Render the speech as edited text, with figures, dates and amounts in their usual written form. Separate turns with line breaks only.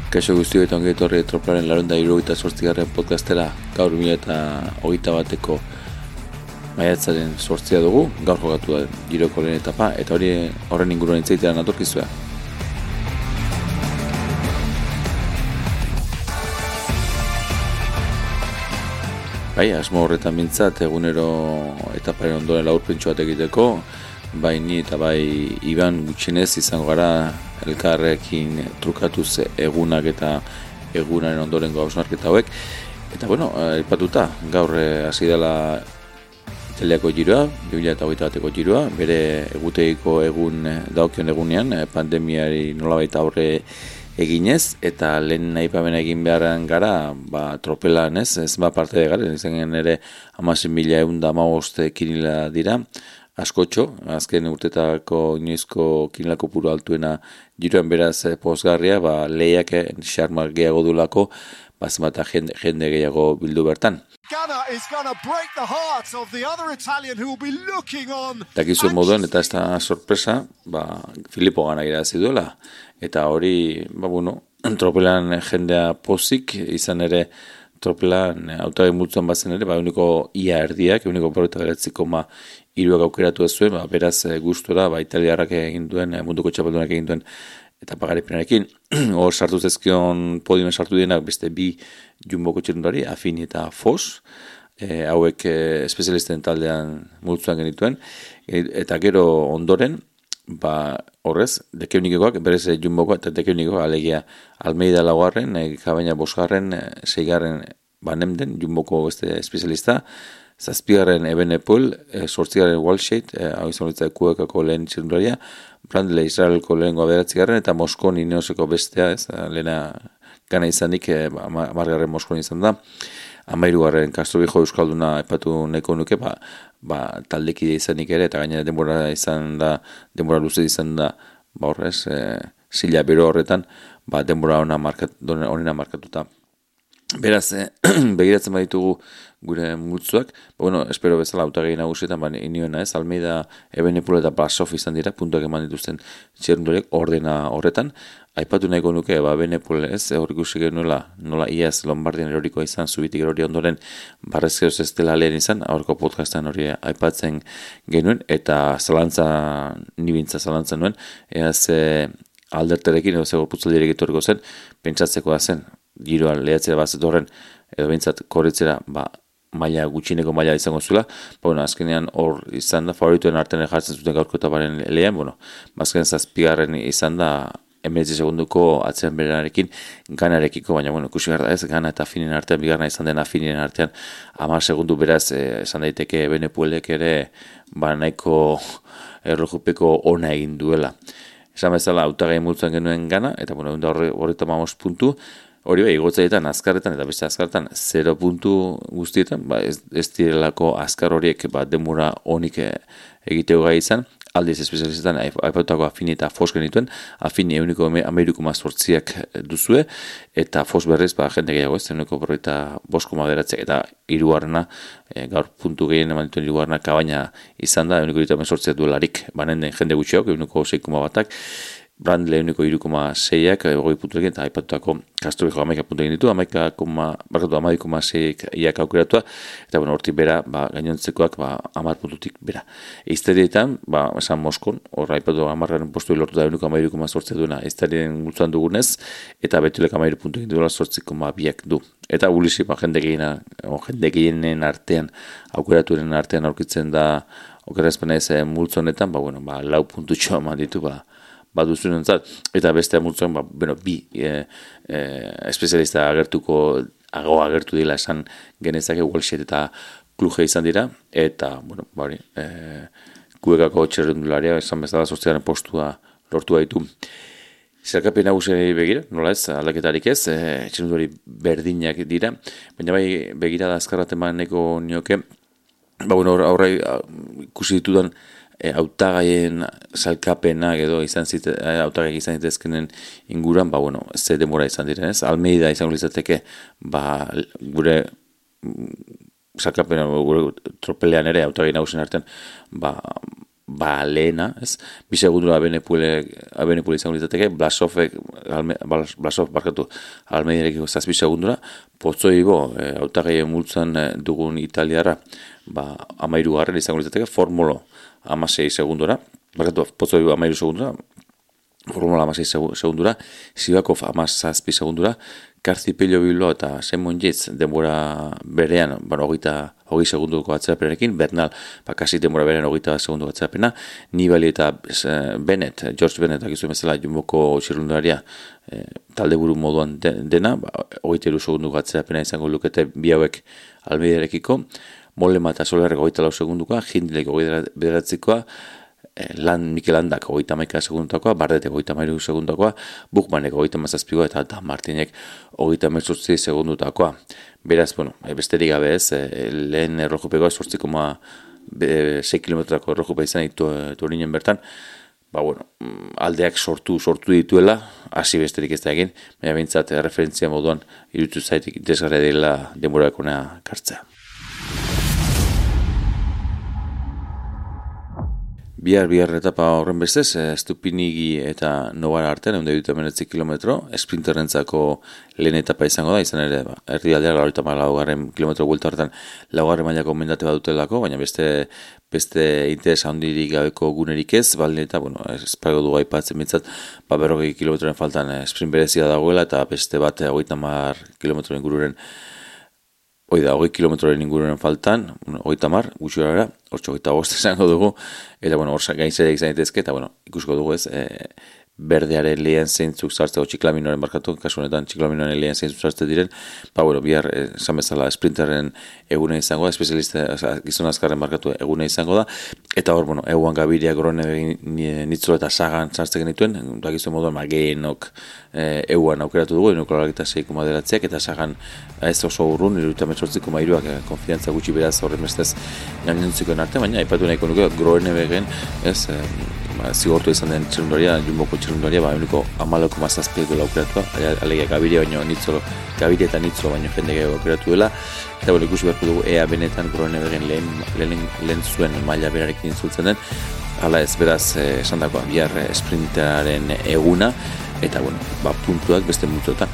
Kaixo guztio eta ongi etorri Tropelaren 178. podcastera. Gaur 2021ko maiatzaren 8 dugu. Gaur jokatu da Giroko lehen etapa eta horren inguruan hitz egitera natorkizue. Bai, asmo horretan mintzat egunero etaparen ondoren laburpentsu bat egiteko, bai ni eta bai Iban gutxinez izango gara elkarrekin trukatuz egunak eta egunaren ondorengo hausnarketa hauek. Eta bueno, aipatuta gaur hasi dela Italiako giroa, 2021ko giroa, bere egutegiko egun dagokion egunean, pandemiari nolabait aurre eginez, eta lehen aipamena egin beharren gara, tropelan ez parte de gara, izan ere 16.115 kinila dira, askotxo, azken urtetako inoizko kinilako puru altuena giroan beraz pozgarria, lehiak xarmak gehiago dulako, zenbata jende gehiago bildu bertan. Dakizuen moduen, eta ez da sorpresa, Filippo gana irabazi duela, eta hori, tropelan jendea pozik, izan ere tropelan hautagai multzoan bazen ere, uniko ia erdiak, uniko 49,3 aukeratu ez zuen, beraz gustora, italiarrak egin duen, munduko txapeldunak egin duen, eta pagaripenarekin, hor sartu zezkion podiumen sartu dienak beste bi jumboko txirrundari, Affini eta Foss, hauek espezialisten taldean multzuan genituen, eta gero ondoren, horrez, dekeunikoak, berez jumboko eta dekeunikoak, alegia Almeida laugarren, Kabaina bosgarren, seigarren Banemden, jumboko beste espezialista, zazpigarren Ebenepol, sortzigarren Walshade, hau izan horitzak kuekako lehen txirrundaria, Brandle Israelko lehengo aberatzigarren, eta Moskon Ineoseko bestea, lehena gana izanik, amargarren Moskon izan da, 13garren Castrovijo Euskalduna epatu nahiko nuke, taldekide izanik ere, eta gainera denbora luze izan da, horrez, zila bero horretan, denbora honena markatuta. Beraz, begiratzen baditugu gure multzuak, espero bezala hautagai nagusietan, inioena ez, Almeida, Ebenepul eta Blasov izan dira, puntuak eman dituzten txirrundoriek ordena horretan. Aipatu nahiko nuke, Ebenepul ez, hor ikusi genuela, nola iaz Lombardian erorikoa izan, zubitik erori ondoren, barrezkeroz ez dela lehen izan, aurko podcastan hori aipatzen genuen, eta nibintza zalantza nuen, eaz alderterekin, edo zego putzaldirek etorriko zen, pentsatzeko da zen, giroan lehatzera bazet horren, edo bintzat korritzera, gutxineko maila izango zuela, azkenean hor izan da, favorituen artean jartzen zuten gaurko etaparen lehean, azkenean zazpigarren izan da, 19 segunduko atzean berenarekin, ganarekiko, baina ikusi gara ez, gana eta Affinin artean, bigarna izan den Affinin artean, 10 segundu beraz, esan daiteke Ebenepulek ere, nahiko erlojupeko ona egin duela. Esan bezala, hautagai multzuan genuen gana, eta horretu 15 puntu, hori igotzaetan, azkarretan, eta beste azkarretan, 0 puntu guztietan, ez direlako azkar horiek denbora honik egiteo gai izan, aldiz espezializetan, aipatutako Affini eta Foss genituen, Affini euniko 13,8ak duzue, eta Foss berriz, jende gehiago ez, euniko 5,9 eta hirugarrena, gaur puntu gehien eman dituen hirugarrena Kabaina izan da, euniko 18 duelarik, den jende gutxiago, euniko 6,1ak, Brandle euniko 3,6ak, goi puntuekin, eta aipatutako Castrovijo 11 puntu egin ditu, 11,6ak aukeratua, eta hortik bera, gainontzekoak 10 puntutik bera. Eizterietan, esan Moskon, hor aipatu 10garren postu lortu da euniko 13,8 duena, eizterien gultzuan dugunez, eta betulek 10 puntu egin duela 8,2ak du. Eta Ulisi, jende gehienen artean, aukeraturen artean aurkitzen da, okerazpena ez multzonetan, 4 puntutxo eman ditu, baduzuen entzat, eta beste multzoan, bi espezialista agertu dila esan genezake, Walshade eta Kluje izan dira, eta, kuekako txerrendularia, esan bezala 8. postua lortu ditu. Zerkapen nagusiei begira, nola ez, aldaketarik ez, txerrendulari berdinak dira, baina begira da azkarraten nahiko nioke, aurra ikusi ditudan, hautagaien salkapenak edo hautagaiak izan zitezkenen inguruan, ze denbora izan diren ez, Almeida izango izateke, gure salkapena, gure tropelean ere, hautagai nagusien artean, lehena, ez? 2 segundura Abenepul izango litzateke, Blasov barkatu Almeidarekiko 7 segundura, Pozzoibo, hautagaien multzan dugun italiarra, 13. izango litzateke, Formolo 16 segundura, Pozzoibo 13 segundura, Formula 16 segundura, Sivakov 17 segundura, Karcipello Bilbao eta Simon Yates denbora berean, 20 segunduko atzerapenarekin, Bernal, kasi denbora berean 20 segunduko atzerapena, Nibali eta George Bennett, akizu bezala Jumboko txirrundularia, talde buru moduan dena, 23 segunduko atzerapena izango lukete bi hauek Almeidarekiko, Mollema eta Solerrek 24 segundukoa, Hindlek 29koa, Mikel Landak 31 segundakoa, Bardetek 33 segundakoa, Buchmannek 37koa eta Dan Martinek 38 segundutakoa. Beraz, besterik gabe ez, lehen erlojupekoa 8,6 kilometrako erlojupe izan Torinen bertan, aldeak sortu dituela, hasi besterik ez da egin, baina bintzat referentzia moduan irutu zaitik desgarria dela denborakona kartzea. Bihar etapa horren bestez, Stupinigi eta Novara artean, 119 kilometro, esprinterrentzako lehen etapa izango da, izan ere, erdialdeak 44 kilometro buelta horretan 4. mailako mendate bat dutelako, baina beste interesa handirik gabeko gunerik ez, baldin eta, espago du aipatzen bintzat, 40 kilometroren faltan sprint berezia dagoela, eta beste bat 30 kilometroren ingururen 20 kilometroren ingururen faltan, 30, gutxi gara, 8 izango dugu, eta hor gainzera izan ditezke, eta ikusko dugu ez, berdearen lehen zeintzuk zartzeko txiklaminoren barkatu, kasu honetan txiklaminoren lehen zeintzuk zartze diren, bihar, esan bezala, sprinterren egune izango da, espezialista, gizon azkarren barkatu egune izango da, eta hor, eguan Gabiria, Grone, Nitzolo eta Sagan zartze genituen, gizon moduan, Geenok eguan aukeratu dugu, 6,9 eta Sagan ez oso urrun, 38,3 konfiantza gutxi beraz horren bestez gainontzikoen arte, baina aipatu nahiko nuke, Grone begen, ez, zigortu izan den txirrundaria, Jumboko txirrundaria, uniko 14,7 aukeratua, alegia Gabiria baino Nitzolo, Gabiria eta Nitzolo baino jende gehiago aukeratu dela, eta ikusi beharko dugu ea benetan Groenewegen lehen zuen maila berarekin intzultzen den, hala ez beraz esan dagoa bihar sprintaren eguna, eta puntuak beste multotan.